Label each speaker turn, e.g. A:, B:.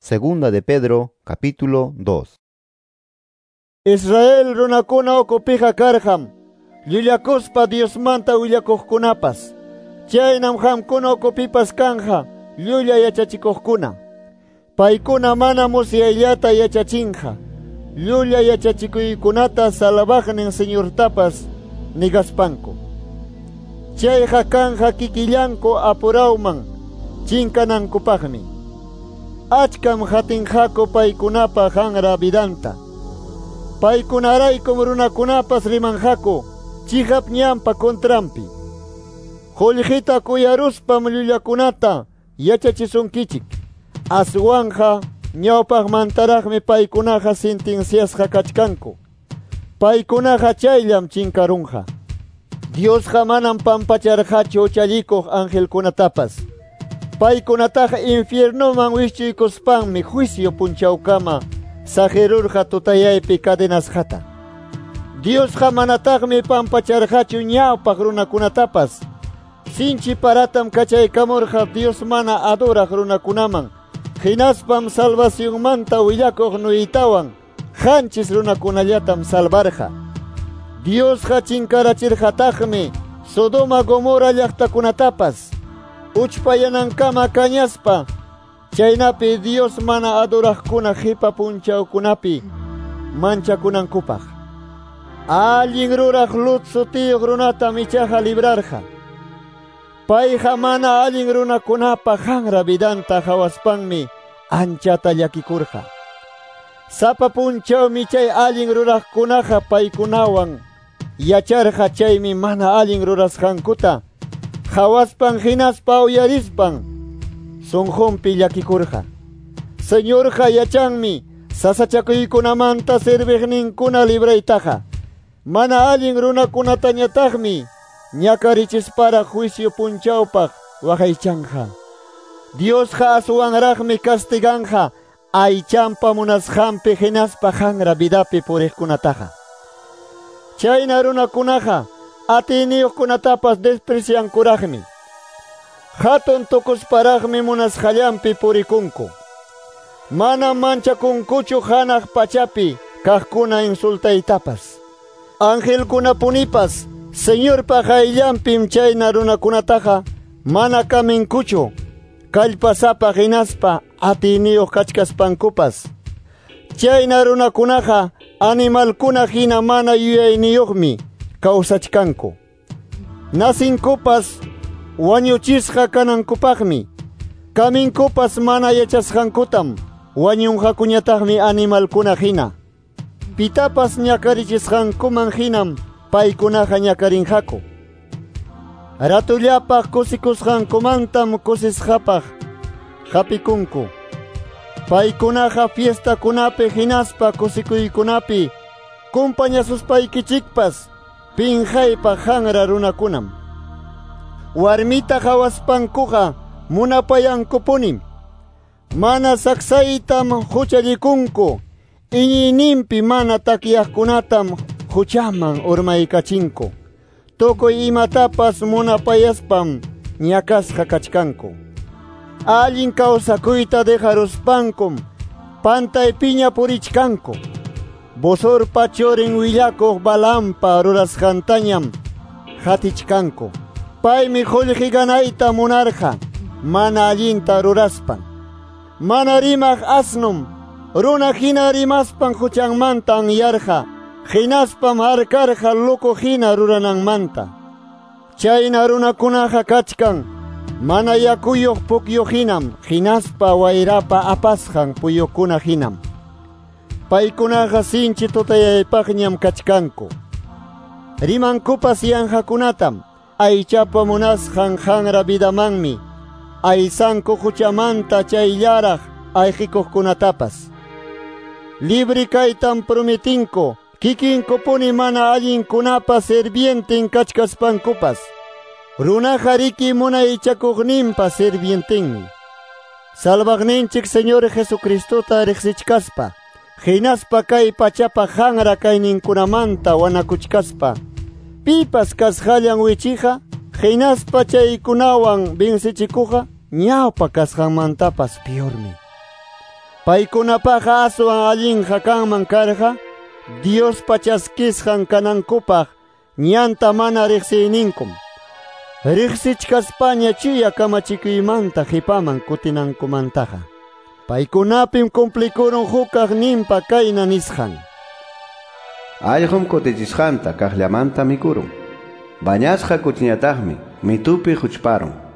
A: Segunda de Pedro, capítulo 2.
B: Israel runakuna ukupija karqam, llullakuspa Diosmanta willakuqkunapas. Chaynam qamkuna ukupipas kanja, llulla yachachikuqkuna. Paykuna mana musyayllata yachachinqa, llulla yachachikuykunata salvaqnin Señortapas nigaspanku. Chayqa kanja kikillanku apurawman chinkanankupaqmi. Achkam hatinqaku paykunapa hanra vidanta. Paykunaraykum runakunapas rimanqaku chihap ñanpa contranpi. Qullqita kuyaruspam llullakunata yachachisunkichik. Aswanja ñawpaqmantaraqmi paykunaqa sentenciasqa kachkanku. Paykunaqa chayllam chinkarunqa. Diosqa manam pampacharqachu huchallikuq angelkunatapas. Paykunataqa infiernoman wischuykuspanmi juicio punchawkama saqirurqa tutayaypi cadenasqata. Diosqa manataqmi pampacharqachu ñawpaq runakunatapas. Sinchi paratam kachaykamurqa Dios mana adoraq runakunaman. Hinaspam salvacionmanta willakuq Noetawan qanchis runakunallatam salvarqa. Diosqa chinkarachirqataqmi Sodoma Gomorra llaqtakunatapas. Uchpayanankama kañaspa chaynapi Dios mana adoraqkuna qipa punchawkunapi manchakunankupaq. Allin ruraq Lut sutiyuq runatam ichaqa librarqa. Payqa mana allin runakunapa hanra vidanta hawaspanmi anchata llakikurqa. Sapa punchawmi chay allin ruraqkunaqa paykunawan yacharqa chaymi mana allin rurasqankuta hawaspan hinaspa uyarispan sunqunpi llakikurqa. Señorqa yachanmi sasachakuykunamanta serviqninkuna libraytaqa. Mana allin runakunatañataqmi ñakarichispara juicio punchawpaq waqaychanqa. Diosqa aswanraqmi castiganqa aychanpa munasqanpi hinaspa hanra vidapi puriqkunataqa. Chayna runakunaqa atiyniyuqkunatapas despreciankuraqmi. Hatun tukusparaqmi munasqallanpi purikunku. Mana manchakunkuchu hanaq pachapi kaqkuna insultaytapas. Angelkunapunipas Señorpa qayllanpim chayna runakunataqa mana kaminkuchu kallpasapa hinaspa atiyniyuq kachkaspankupas. Chayna runakunaqa animalkuna hina mana yuyayniyuqmi kawsachkanku. Nasinkupas wañuchisqa kanankupaqmi. Kaminkupas mana yachasqankutam wañunqakuñataqmi animalkuna hina. Pitapas ñakarichisqankuman hinam paykunaqa ñakarinqaku. Ratullapaq kusikusqankumantam kusisqapaq hapikunku. Paykunaqa fiestakunapi hinaspa kusikuykunapi kumpañasuspaykichikpas pinqaypaq hanra runakunam. Warmita hawaspankuqa munapayankupunim. Mana saksaytam huchallikunku. Iñiyninpi mana takyaqkunatam huchaman urmaykachinku. Tukuy imatapas munapayaspam ñakasqa kachkanku. Allin kawsakuyta dejaruspankum pantaypiña purichkanku. Bosorpa churin willakuq Balaampa rurasqantañam hatichkanku. Paymi qullqi ganayta munarqa mana allinta ruraspan. Mana rimaq asnum runa hina rimaspan huchanmanta anyarqa. Hinaspam harkarqa loco hina rurananmanta. Chayna runakunaqa kachkan mana yakuyuq pukyu hinam hinaspa wayrapa apasqan puyukuna hinam. Paykunaqa sinchi tutayaypaqñam kachkanku. Rimankupas yanqakunatam aychapa munasqan hanra vidamanmi aysanku huchamanta chayllaraq ayqikuqkunatapas. Libre kaytam prometinku kikinkupuni mana allinkunapa sirvienten kachkaspankupas. Runaqa riki munaychakuqninpa sirvientenmi. Salvaqninchik Señor Jesucristota riqsichkaspa, hinaspa kay pachapa hanra kayninkunamanta wanakuchkaspa, pipas kasqallan wichiqa, hinaspa chaykunawan vencichikuqa, ñawpa kasqanmantapas piormi. Paykunapaqa aswan allinqa kanman karqa Diospa chaskisqan kanankupaq ñanta mana riqsiyninkum. Riqsichkaspaña chuya kamachikuymanta qipaman kutinankumantaqa. Paykunapim cumplikurun hukaqninpa kayna nisqan:
C: Allqum kutichisqanta kaqllamanta mikurun. Bañasqa kuchiñataqmi mitupi huchparun.